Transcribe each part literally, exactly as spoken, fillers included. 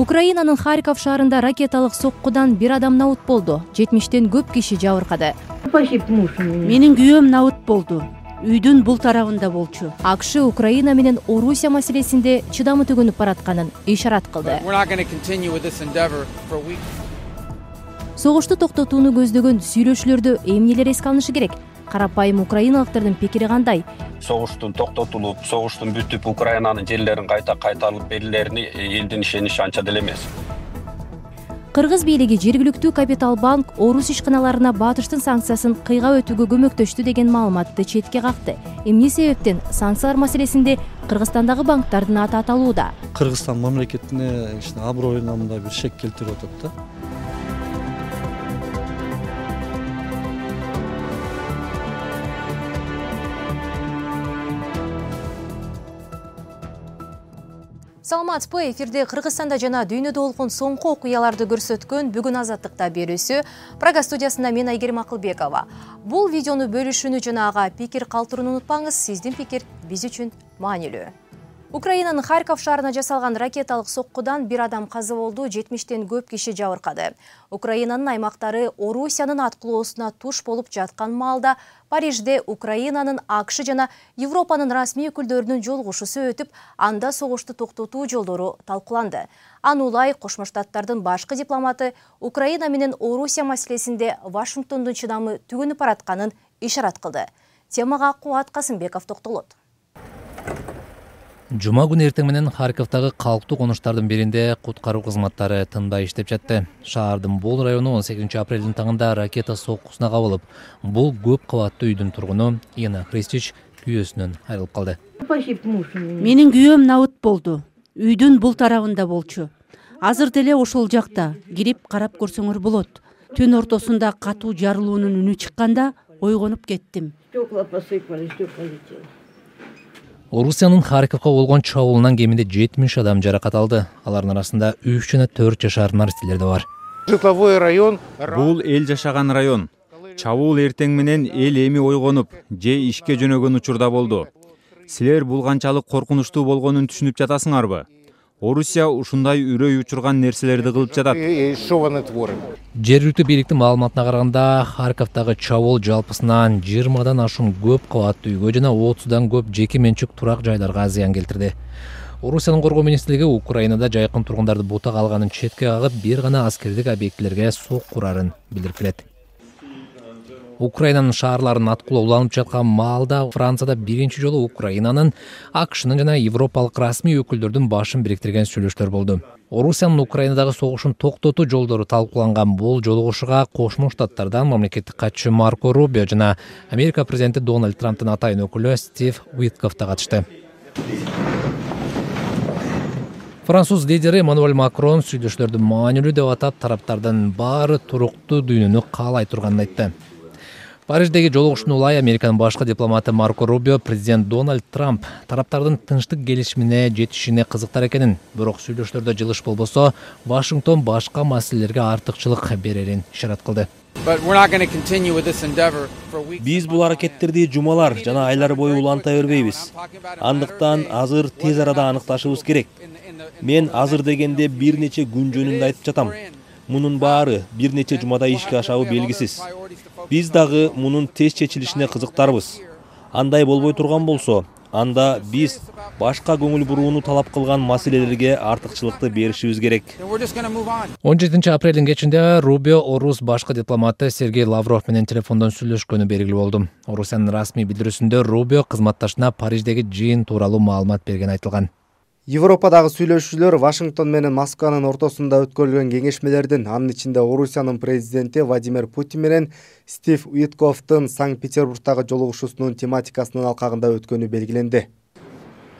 Украинанын Харьков шаарында ракеталык соккудан бир адам набыт болду. жетимиштен көп киши жабыркады. Менин күйөөм набыт болду. Үйдүн бул тарабында болчу. АКШ Украина менен Орусия маселесинде чыдамы төгүнүп баратканын ишарат кылды. Согушту токтотууну көздөгөн сүйлөшүүлөрдө эмнелер эске алынышы керек? Карапайым украиналыктардын пикири кандай? Согуштун токтотулуп, согуштун бүтүп, Украинанын жерлерин кайта кайтарылып берилерини элдин ишеничи анча деле эмес. Кыргыз бийлиги жергиликтүү Капитал банк Орус ишканаларына батыштын санкциясын кыйгап өтүүгө көмөктөштү деген маалыматты четке какты. Эмне себептен санкциялар маселесинде Кыргызстандагы банктардын аты аталууда? Кыргызстан мамлекетине аброюна мындай бир шек келтирип атат да. Саламатсызбы, эфирде Кыргызстанда жана дүйнөдө болгон соңку окуяларды көрсөткөн бүгүн Азаттыкта берүүсү. Прага студиясында мен Айгерим Акылбекова. Бул видеону бөлүшүүнү жана ага пикир калтырууну унутпаңыз. Сиздин пикир биз үчүн маанилүү. Украинанын Харьков шаарына жасалган ракеталык соккудан бир адам каза болду, жетимиштен көп киши жабыркады. Украинанын аймактары Орусиянын аткылоосуна туш болуп жаткан маалда Парижде Украинанын АКШ жана Европанын расмий өкүлдөрүнүн жолугушуусу өтүп, анда согушту токтотуу жолдору талкууланды. Аны улай Кошмо Штаттардын башкы дипломаты Украина менен Орусия маселесинде Вашингтондун чыдамы түгөнүп баратканын ишарат кылды. Темага Кубат Касымбеков токтолот. Жума күнү эртең менен Харьковдагы калктуу конуштардын биринде куткаруу кызматтары тынбай иштеп жатты. Шаардын бул району он сегизинчи апрелдин таңында ракета соккусуна кабылып, бул көп кабаттуу үйдүн тургуну Ина Христич күйөөсүнөн айрылып калды. Менин күйөөм набыт болду. Үйдүн бул тарабында болчу. Азыр деле ошол жакта, кирип карап көрсөңөр болот. Түн ортосунда катуу жарылуунун үнү чыкканда ойгонуп кеттим. Орусиянын Харьковго болгон чабуулунан кеминде жетимиш адам жаракат алды. Алардын арасында үч жана төрт жашар наристелер да бар. Бул эл жашаган район. Чабуул эртең менен эл эми ойгонуп, же ишке жөнөгөн учурда болду. Силер бул канчалык коркунучтуу болгонун түшүнүп жатасыңарбы? Орусия ушундай үрөй учурган нерселерди кылып жатат. Жергиликтүү бийликтин маалыматына караганда, Харьковдагы чабуул жалпысынан жыйырмадан ашуун көп кабаттуу үйгө жана отуздан көп жеке менчик турак жайларга зыян келтирди. Орусиянын коргоо министрлиги Украинада жайкын тургундарды бутак алганын четке кагып, бир гана аскердик объектилерге сокку урарын билдирип келет. Украинанын шаарларын аткылоо уланып жаткан маалда Францияда биринчи жолу Украинанын, АКШнын жана европалык расмий өкүлдөрдүн башын бириктирген сүйлөшүүлөр болду. Орусиянын Украинадагы согушун токтотуу жолдору талкууланган бул жолугушууга Кошмо Штаттардан мамлекеттик катчы Марко Рубио жана Америка президенти Дональд Трамптын атайын өкүлү Стив Уиткоф да катышты. Француз лидери Эммануэль Макрон сүйлөшүүлөрдү маанилүү деп атап, тараптардын баары туруктуу дүйнөнү каалай турганын айтты. Париждеги жолугушууну улай Американын башкы дипломаты Марко Рубио президент Дональд Трамп тараптардын тынчтык келишимине жетишине кызыктар экенин, бирок сүйлөшүүлөрдө жылыш болбосо, Вашингтон башка маселелерге артыкчылык берерин ишарат кылды. Биз бул аракеттерди жумалар жана айлар бою уланта бербейбиз. Андыктан азыр тез арада аныкташыбыз керек. Мен азыр дегенде бир нече күн жөнүндө айтып жатам. Мунун баары бир нече жумада ишке ашабы белгисиз. Биз дагы мунун тез чечилишине кызыктарбыз. Андай болбой турган болсо, анда биз башка көңүл бурууну талап кылган маселелерге артыкчылыкты беришибиз керек. он жетинчи апрелдин кечинде Рубио Орус башкы дипломаты Сергей Лавров менен телефондон сүйлөшкөнү белгилүү болду. Орусиянын расмий билдирүүсүндө Рубио кызматташына Париждеги жыйын тууралуу маалымат берген айтылган. Европадагы сүйлөшүүлөр Вашингтон менен Москванын ортосунда өткөрүлгөн кеңешмелердин, анын ичинде Орусиянын президенти Владимир Путин менен Стив Уиткофтун Санкт-Петербургдагы жолугушуусунун тематикасынын алкагында өткөнү белгиленди.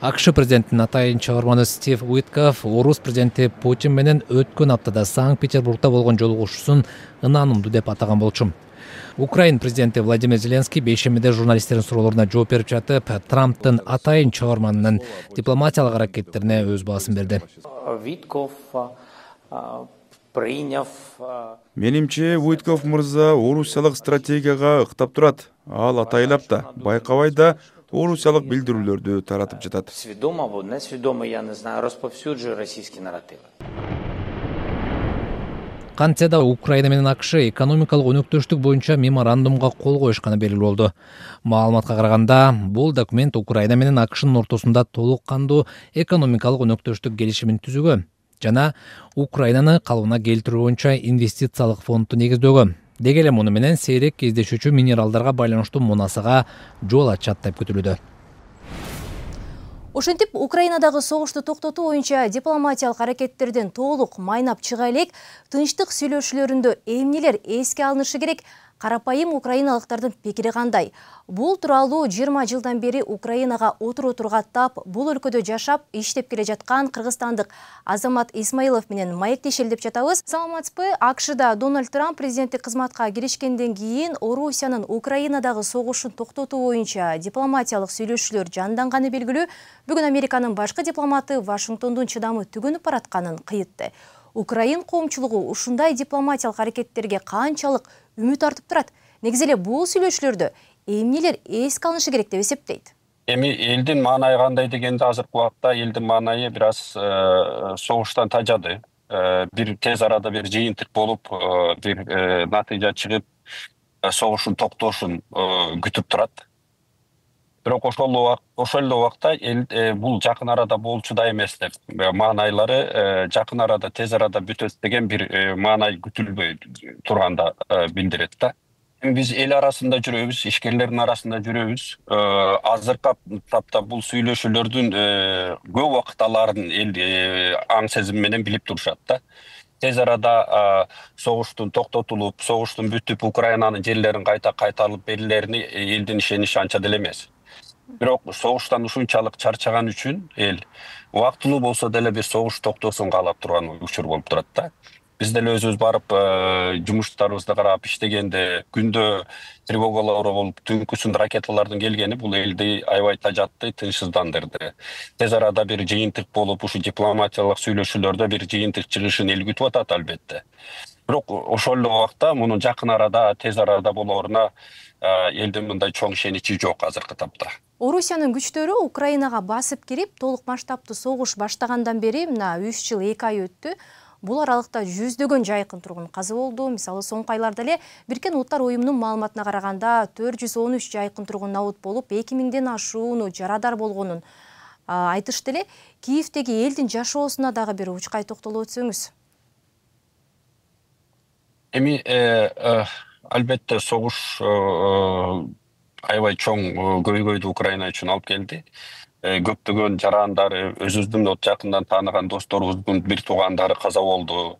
АКШ президентинин атайын чыгарманы Стив Уиткоф Орус президенти Путин менен өткөн аптада Санкт-Петербургда болгон жолугушуусун ынанымдуу деп атаган болчу. Украин президенти Владимир Зеленский бейшембиде журналисттердин суроолоруна жооп берип жатып, Трамптын атайын чыгарманынын дипломатиялык аракеттерине өз баасын берди. Менимче, Уиткоф мырза орусиялык стратегияга ыктап турат. Ал атайлап да, байкабай да орусиялык билдирүүлөрдү таратып жатат. Сведомо, не сведомо, я не знаю, расповсюджує російські наративи. Кантсе да Украина менен АКШ экономикалык өнөктөштүк боюнча меморандумга кол коюшканы белгилүү болду. Маалыматка караганда, бул документ Украина менен АКШнын ортосунда толук кандуу экономикалык өнөктөштүк келишимин түзүүгө жана Украинаны калыбына келтирүү боюнча инвестициялык фондду негиздөөгө, деги эле муну менен сейрек кездешүүчү минералдарга байланыштуу мунасага жол ачат деп күтүлүүдө. Ошентип, Украинадагы согушту токтотуу боюнча дипломатиялык аракеттерден толук майнап чыга элек, тынчтык сүйлөшүүлөрүндө эмнелер эске алынышы керек, карапайым украиналыктардын пикири кандай? Бул тууралуу жыйырма жылдан бери Украинага отуруу тургаттап, бул өлкөдө жашап, иштеп келе жаткан кыргызстандык Азамат Исмаилов менен маектешели деп жатабыз. Саламатсызбы? АКШда Дональд Трамп президенттик кызматка киришкенден кийин Орусиянын Украинадагы согушун токтотуу боюнча дипломатиялык сүйлөшүүлөр жанданганы белгилүү. Бүгүн Американын башкы дипломаты Вашингтондун чыдамы түгөнүп баратканын кыйытты. Украин коомчулугу ушундай дипломатиялык аракеттерге канчалык үмүт артып турат? Негизи эле бул сүйлөшүүлөрдө эмнелер эске алынышы керек деп эсептейт? Эми элдин маанайы кандай дегенде, азыркы убакта элдин маанайы бир аз согуштан тажады. Бир тез арада бир жыйынтык болуп, бир натыйжа чыгып, согуштун токтошун күтүп турат. Бирок ошол ошол эле убакта бул жакын арада болчу да эмес деп маанайлары жакын арада тез арада бүтөт деген бир маанай күтүлбөй турганда билдирет да. Биз эл арасында жүрөбүз, ишкерлердин арасында жүрөбүз. Азыркы тапта бул сүйлөшүүлөрдүн көп убакыт аларын эл аң сезим менен билип турушат да. Тез арада согуштун токтотулуп, согуштун бүтүп, Украинанын жерлерин кайта кайтарылып берилерини элдин ишеничи анча деле эмес. Бирок согуштан ушунчалык чарчаган үчүн эл убактылуу болсо деле бир согуш токтосун каалап турган учур болуп турат да. Биз деле өзүбүз барып жумуштарыбызды карап иштегенде күндө тревогалар болуп, түнкүсүн ракеталардын келгени бул элди аябай тажатты, тынчсыздандырды. Тез арада бир жыйынтык болуп, ушу дипломатиялык сүйлөшүүлөрдө бир жыйынтык чыгышын эл күтүп атат албетте. Бирок ошол эле убакта мунун жакын арада, тез арада болоруна элдин мындай чоң ишеничи жок азыркы тапта. Орусиянын күчтөрү Украинага басып кирип, толук масштабтуу согуш баштагандан бери мына үч жыл эки ай өттү. Бул аралыкта жүздөгөн жайкын тургун каза болду. Мисалы, соңку айларда эле Бириккен Улуттар уюмунун маалыматына караганда төрт жүз он үч жайкын тургун набут болуп, эки миңден ашууну жарадар болгонун айтышты эле. Киевдеги элдин жашоосуна дагы бир учкай токтолуп өтсөңүз. Эми албетте согуш аябай чоң көйгөйдү Украина үчүн алып келди. Көптөгөн жарандары, өзүбүздүн жакындан тааныган досторубуздун бир туугандары каза болду.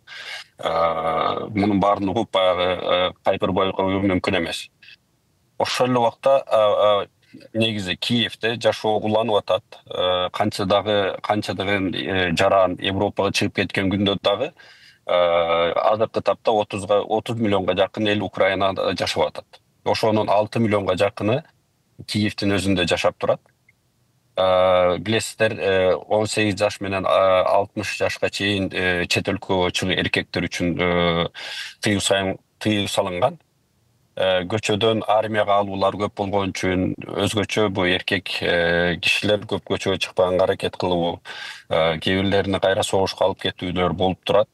Мунун баарын угуп баягы кайгырбай коюу мүмкүн эмес. Ошол эле убакта негизи Киевде жашоо уланып атат. Канча дагы канчадагы жаран Европага чыгып кеткен күндө дагы азыркы тапта отуз миллионго жакын эл Украинада жашап атат. Ошонун алты миллионго жакыны Киевдин өзүндө жашап турат. Билесиздер, он сегиз жаш менен алтымыш жашка чейин чет өлкөгө чыгуу эркектер үчүн тыюу салынган. Көчөдөн армияга алуулар көп болгон үчүн өзгөчө бу эркек кишилер көп көчөгө чыкпаганга аракет кылуу, кээ бирлерини кайра согушка алып кетүүлөр болуп турат.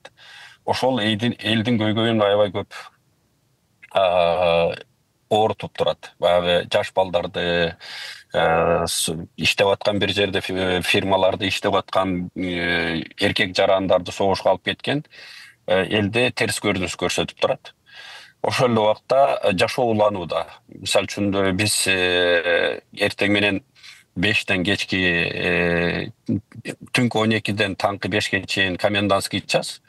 Ошол элдин көйгөйүн аябай көп оорутуп турат. Баягы жаш балдарды, иштеп аткан бир жерде фирмаларды иштеп аткан эркек жарандарды согушка алып кеткен элде терс көрүнүш көрсөтүп турат. Ошол эле убакта жашоо уланууда. Мисалы үчүн биз эртең менен бештен кечки түнкү он экиден таңкы бешке чейин комендантский час.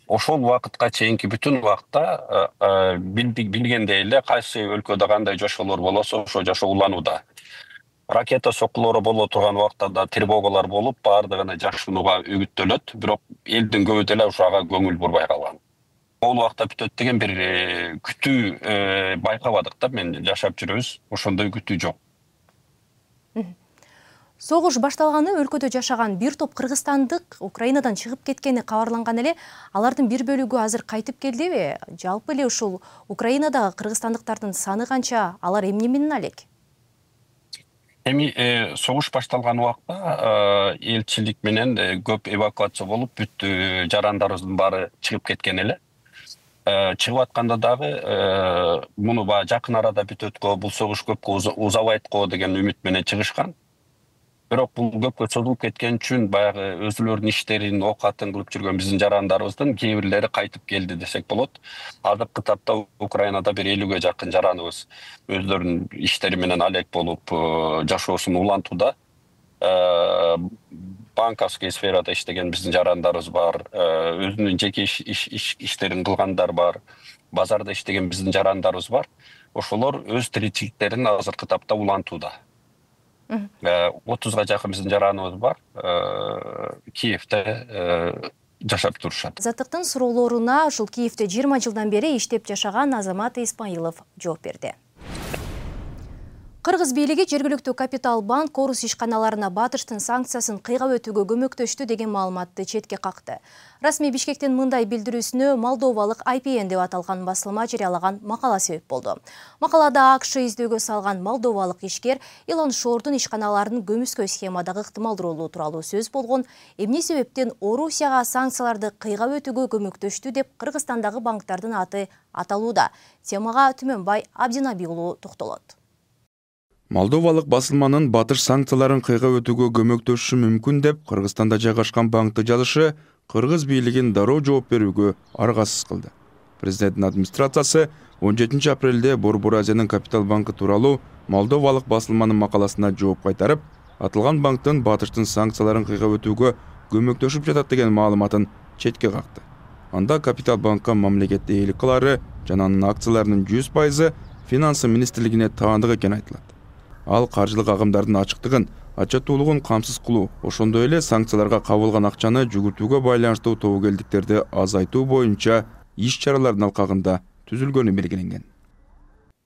Ошол убакытка чейинки бүтүн убакта билгендей эле кайсы өлкөдө кандай жашоолор болосо ошо жашоо уланууда. Ракета соккулору боло турган убакта да тревогалар болуп, баардыгына жашынууга үгүттөлөт, бирок элдин көбү деле ушуга көңүл бурбай калган. Бул убакта бүтөт деген бир күтүү байкабадык да, мен жашап жүрөбүз, ошондой күтүү жок. Согуш башталганы өлкөдө жашаган бир топ кыргызстандык Украинадан чыгып кеткени кабарланган эле. Алардын бир бөлүгү азыр кайтып келдиби? Жалпы эле ушул Украинадагы кыргызстандыктардын саны канча? Алар эмне менен алек? Эми согуш башталган убакта элчилик менен көп эвакуация болуп, бүт жарандарыбыздын баары чыгып кеткен эле. чыгып атканда дагы муну баягы жакын арада бүтөт го, бул согуш көпкө узабайт го деген үмүт менен чыгышкан. Бирок бул көпкө созулуп кеткен үчүн баягы өзүлөрүнүн иштерин, оокатын кылып жүргөн биздин жарандарыбыздын кээ бирлери кайтып келди десек болот. Азыркы тапта Украинада бир элүүгө жакын жараныбыз өздөрүнүн иштери менен алек болуп жашоосун улантууда. Банковский сферада иштеген биздин жарандарыбыз бар, өзүнүн жеке иштерин кылгандар бар, базарда иштеген биздин жарандарыбыз бар. Ошолор өз тиричиликтерин азыркы тапта улантууда. отузга жакын биздин жараныбыз бар, Киевде жашап турушат. Азаттыктын суроолоруна ушул Киевде жыйырма жылдан бери иштеп жашаган Азамат Исмаилов жооп берди. Кыргыз бийлиги жергиликтүү Капитал банк орус ишканаларына батыштын санкциясын кыйгап өтүүгө көмөктөштү деген маалыматты четке какты. Расмий Бишкектин мындай билдирүүсүнө Молдовалык ай пи эн деп аталган басылма жарыялаган макала себеп болду. Макалада АКШ издөөгө салган молдовалык ишкер Илон Шордун ишканаларын көмүскө схемадагы ыктымал ролу тууралуу сөз болгон, эмне себептен Орусияга санкцияларды кыйгап өтүүгө көмөктөштү деп Кыргызстандагы банктардын аты аталууда. Темага Түмөнбай Абдинаби уулу токтолот. Молдовалык басылманын батыш санкцияларын кыйгап өтүүгө көмөктөшүшү мүмкүн деп Кыргызстанда жайгашкан банкты жазышы Кыргыз бийлигин дароо жооп берүүгө аргасыз кылды. Президенттин администрациясы он жетинчи апрелде Борбор Азиянын Капитал банкы тууралуу молдовалык басылманын макаласына жооп кайтарып, аталган банктын батыштын санкцияларын кыйгап өтүүгө көмөктөшүп жатат деген маалыматын четке какты. Анда Капитал банкка мамлекетте ээлик кылары жана анын акцияларынын жүз пайызы Финансы министрлигине таандык экени айтылат. Ал каржылык агымдардын ачыктыгын, ачатуулугун камсыз кылуу, ошондой эле санкцияларга кабылган акчаны жүгүртүүгө байланыштуу тобокелдиктерди азайтуу боюнча иш-чаралардын алкагында түзүлгөнү белгиленген.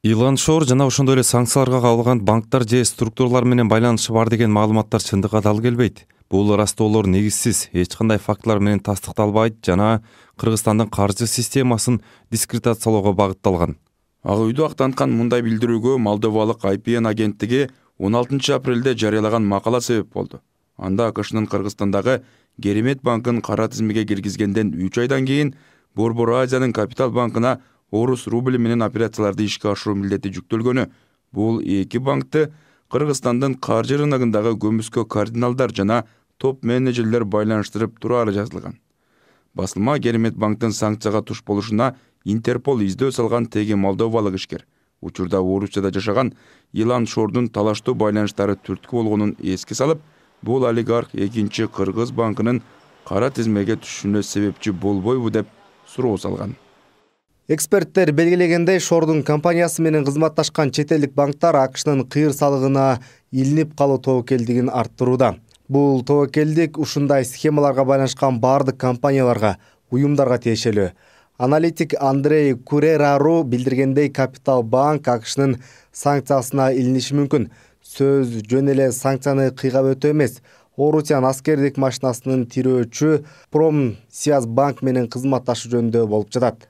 Илон Шор жана ошондой эле санкцияларга кабылган банктар же структуралар менен байланышы бар деген маалыматтар чындыкка дал келбейт. Бул ырастоолор негизсиз, эч кандай фактылар менен тастыкталбайт жана Кыргызстандын каржы системасын дискредитациялоого багытталган. Ак үйдү актанткан мындай билдирүүгө Молдовалык ай пи эн агенттиги он алтынчы апрелде жарыялаган макала себеп болду. Анда АКШнын Кыргызстандагы Керемет банкын кара тизмеге киргизгенден үч айдан кийин Борбор Азиянын Капитал банкына орус рубли менен операцияларды ишке ашыруу милдети жүктөлгөнү. Бул эки банкты Кыргызстандын каржы рыногундагы көмүскө кардиналдар жана топ менеджерлер байланыштырып турары жазылган. Басылма Керемет банктын санкцияга туш болушуна Интерпол издөө салган теги молдовалык ишкер. Учурда Орусияда жашаган Илон Шордун талаштуу байланыштары түрткү болгонун эске салып, бул олигарх экинчи Кыргыз банкынын кара тизмеге түшүшүнө себепчи болбойбу деп суроо салган. Эксперттер белгилегендей, Шордун компаниясы менен кызматташкан чет элдик банктар АКШнын кыйыр салыгына илинип калуу тобокелдигин арттырууда. Бул тобокелдик ушундай схемаларга байланышкан бардык компанияларга, уюмдарга тиешелүү. Аналитик Андрей Курерару билдиргендей, Капитал банк АКШнын санкциясына илиниши мүмкүн. Сөз жөн эле санкцияны кыйгап өтүү эмес, Орусиянын аскердик машинасынын тирөөчү Промсвязьбанк менен кызматташуу жөнүндө болуп жатат.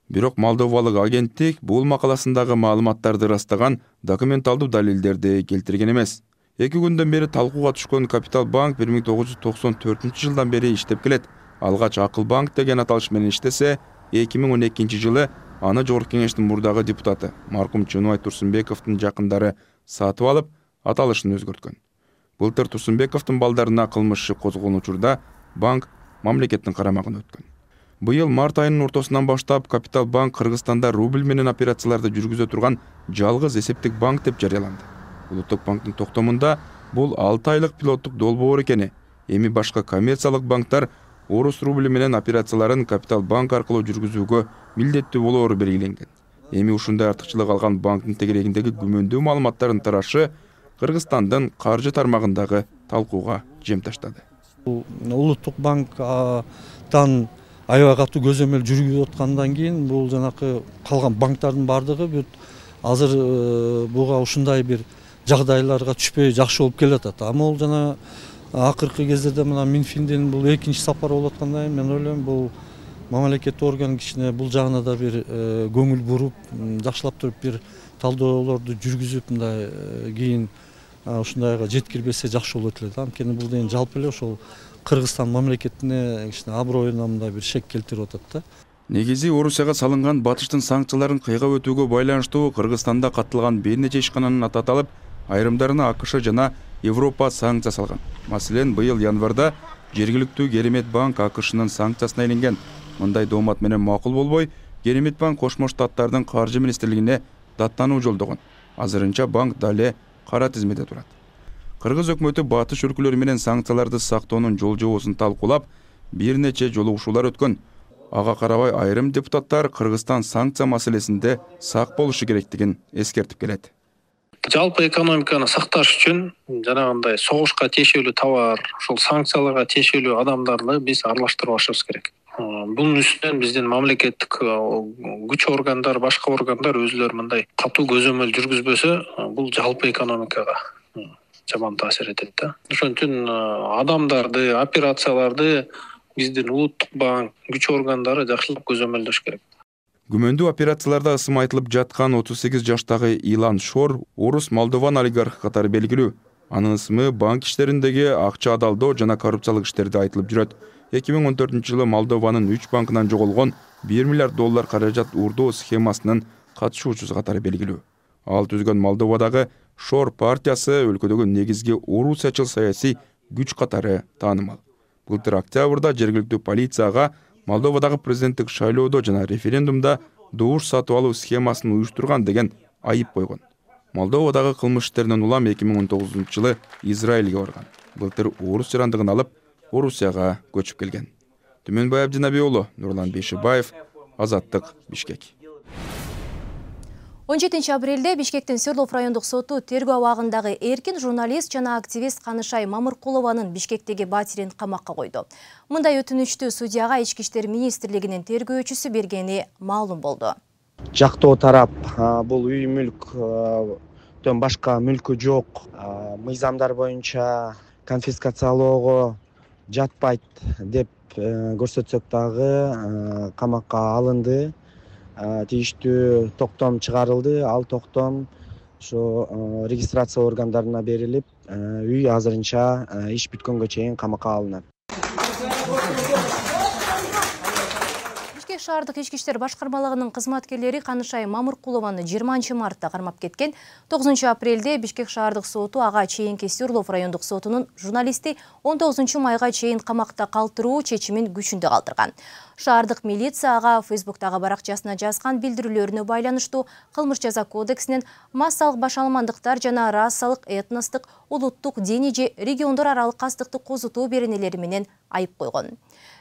Бирок молдовалык агенттик бул макаласындагы маалыматтарды ырастаган документалдуу далилдерди келтирген эмес. Эки күндөн бери талкууга түшкөн Капитал банк бир миң тогуз жүз токсон төртүнчү жылдан бери иштеп келет. Алгач Акыл банк деген аталыш менен иштесе, эки миң он экинчи жылы аны Жогорку кеңештин мурдагы депутаты маркум Чыныбай Турсунбековдун жакындары сатып алып, аталышын өзгөрткөн. Былтыр Турсунбековдун балдарына кылмыш иши козголгон учурда банк мамлекеттин карамагына өткөн. Быйыл март айынын ортосунан баштап Капитал банк Кыргызстанда рубль менен операцияларды жүргүзө турган жалгыз эсептик банк деп жарыяланды. Улуттук банктын токтомунда бул алты айлык пилоттук долбоор экени, эми башка коммерциялык банктар орус рубли менен операцияларын Капитал банк аркылуу жүргүзүүгө милдеттүү болоору белгиленген. Эми ушундай артыкчылык алган банктын тегерегиндеги күмөндүү маалыматтардын тарашы Кыргызстандын каржы тармагындагы талкууга жем таштады. Улуттук банктан аябай катуу көзөмөл жүргүзүп аткандан кийин бул жанакы калган банктардын бардыгы бүт азыр буга ушундай бир жагдайларга түшпөй жакшы болуп келатат. А могул жана акыркы кездерде мына Минфиндин бул экинчи сапары болуп аткандай, мен ойлойм бул мамлекеттик орган кичине бул жагына да бир көңүл буруп, жакшылап туруп бир талдоолорду жүргүзүп, мындай кийин ушундайга жеткирбесе жакшы болот эле да. Анткени бул деген жалпы эле ошол Кыргызстан мамлекетине кичине аброюна мындай бир шек келтирип атат да. Негизи Орусияга салынган батыштын санкцияларын кыйгап өтүүгө байланыштуу Кыргызстанда катталган бир нече ишкананын аты аталып, айрымдарына АКШ жана Европа санкция салган. Маселен, быйыл январда жергиликтүү Керемет банк АКШнын санкциясына илинген. Мындай доомат менен макул болбой, Керемет банк Кошмо Штаттардын каржы министрлигине даттануу жолдогон. Азырынча банк дале кара тизмеде турат. Кыргыз өкмөтү батыш өлкөлөрү менен санкцияларды сактоонун жол жобосун талкуулап, бир нече жолугушуулар өткөн. Ага карабай айрым депутаттар Кыргызстан санкция маселесинде сак болушу керектигин эскертип келет. Жалпы экономиканы сакташ үчүн жанагындай согушка тиешелүү товар, ошол санкцияларга тиешелүү адамдарды биз аралаштырбашыбыз керек. Бунун үстүнөн биздин мамлекеттик күч органдар, башка органдар өзүлөрү мындай катуу көзөмөл жүргүзбөсө, бул жалпы экономикага жаман таасир этет да. Ошон үчүн адамдарды, операцияларды биздин улуттук банк, күч органдары жакшылап көзөмөлдөш керек. Күмөндүү операцияларда ысым айтылып жаткан отуз сегиз жаштагы Илан Шор орус Молдован олигархы катары белгилүү. Анын ысымы банк иштериндеги акча адалдоо жана коррупциялык иштерде айтылып жүрөт. эки миң он төртүнчү жылы Молдованын үч банкынан жоголгон бир миллиард доллар каражат уурдоо схемасынын катышуучусу катары белгилүү. Ал түзгөн Молдовадагы Шор партиясы өлкөдөгү негизги орусиячыл саясий күч катары таанымал. Былтыр октябрда жергиликтүү полицияга Молдовадагы президенттик шайлоодо жана референдумда добуш сатып алуу схемасын уюштурган деген айып койгон. Молдовадагы кылмыш иштеринен улам эки миң он тогузунчу жылы Израилге барган. Былтыр орус жарандыгын алып, Орусияга көчүп келген. Түмөнбай Абдинабий уулу, Нурлан Бейшибаев, Азаттык, Бишкек. он жетинчи апрелде Бишкектин Свердлов райондук соту тергөө абагындагы эркин журналист жана активист Канышай Мамыркулованын Бишкектеги батирин камакка койду. Мындай өтүнүчтү судьяга Ички иштер министрлигинин тергөөчүсү бергени маалым болду. Жактоо тарап бул үй мүлктөн башка мүлкү жок, мыйзамдар боюнча конфискациялоого жатпайт деп көрсөтсөк дагы камакка алынды. Тийиштүү токтом чыгарылды. Ал токтом ошо регистрация органдарына берилип, үй азырынча иш бүткөнгө чейин камакка алынат. Бишкек шаардык ички иштер башкармалыгынын кызматкерлери Канышай Мамыркулованы жыйырманчы мартта кармап кеткен. тогузунчу апрелде Бишкек шаардык соту ага чейинки Свердлов райондук сотунун журналисти он тогузунчу майга чейин камакта калтыруу чечимин күчүндө калтырган. Шаардык милиция ага Фейсбуктагы баракчасына жазган билдирүүлөрүнө байланыштуу кылмыш жаза кодексинин массалык башаламандыктар жана расалык, этностук, улуттук, диний же региондор аралык кастыкты козутуу беренелери менен айып койгон.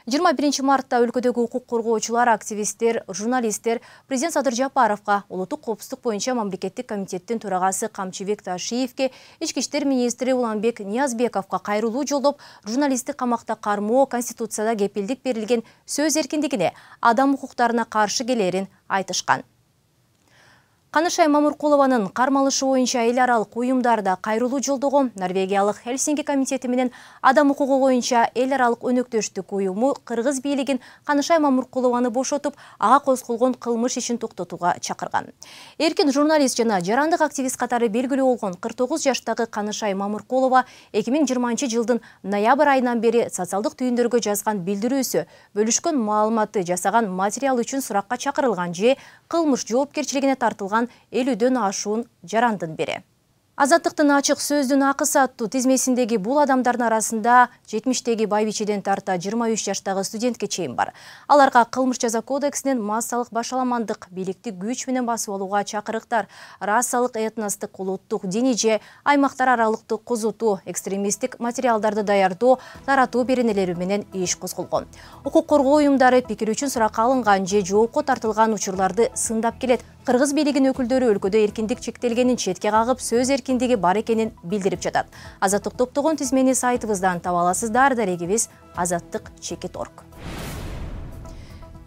жыйырма биринчи мартта өлкөдөгү укук коргоочулар, активисттер, журналисттер президент Садыр Жапаровго, улуттук коопсуздук боюнча мамлекеттик комитеттин төрагасы Камчыбек Ташиевке, ички иштер министри Уланбек Ниязбековго кайрылуу жолдоп, журналистти камакта кармоо, конституцияда кепилдик берилген сөз эркиндигине, адам укуктарына каршы келерин айтышкан. Канышай Мамыркулованын кармалышы боюнча эл аралык уюмдарда кайрылуу жолдогон Норвегиялык Хельсинки комитети менен адам укугу боюнча эл аралык өнөктөштүк уюму Кыргыз бийлигин Канышай Мамыркулованы бошотуп, ага козголгон кылмыш ишин токтотууга чакырган. Эркин журналист жана жарандык активист катары белгилүү болгон кырк тогуз жаштагы Канышай Мамыркулова эки миң жыйырманчы жылдын ноябрь айынан бери социалдык түйүндөргө жазган билдирүүсү, бөлүшкөн маалыматы, жасаган материал үчүн суракка чакырылган же кылмыш жоопкерчилигине тартылган элүүдөн ашуун жарандын бири. Азаттыктын ачык сөздүн акысы аттуу тизмесиндеги бул адамдардын арасында жетимиштеги байбичеден тарта жыйырма үч жаштагы студентке чейин бар. Аларга кылмыш жаза кодексинин массалык башаламандык, бийликти күч менен басып алууга чакырыктар, расалык, этностук, улуттук, диний же аймактар аралыктык козутуу, экстремисттик материалдарды даярдоо, таратуу беренелери менен иш козголгон. Укук коргоо уюмдары пикир үчүн суракка алынган же жоопко тартылган учурларды сындап келет. Кыргыз бийлигинин өкүлдөрү өлкөдө эркиндик чектелгенин четке кагып, сөз эркиндиги бар экенин билдирип жатат. Азаттык топтогон тизмени сайтыбыздан таба аласыздар. Дарегибиз азаттык чекит точка орг.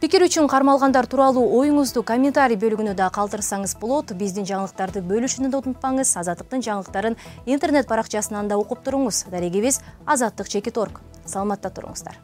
Пикир үчүн кармалгандар тууралуу оюңузду комментарий бөлүгүнө да калтырсаңыз болот. Биздин жаңылыктарды бөлүшүүнү да унутпаңыз. Азаттыктын жаңылыктарын интернет баракчасынан да окуп туруңуз. Дарегибиз азаттык чекит точка орг. Саламатта туруңуздар.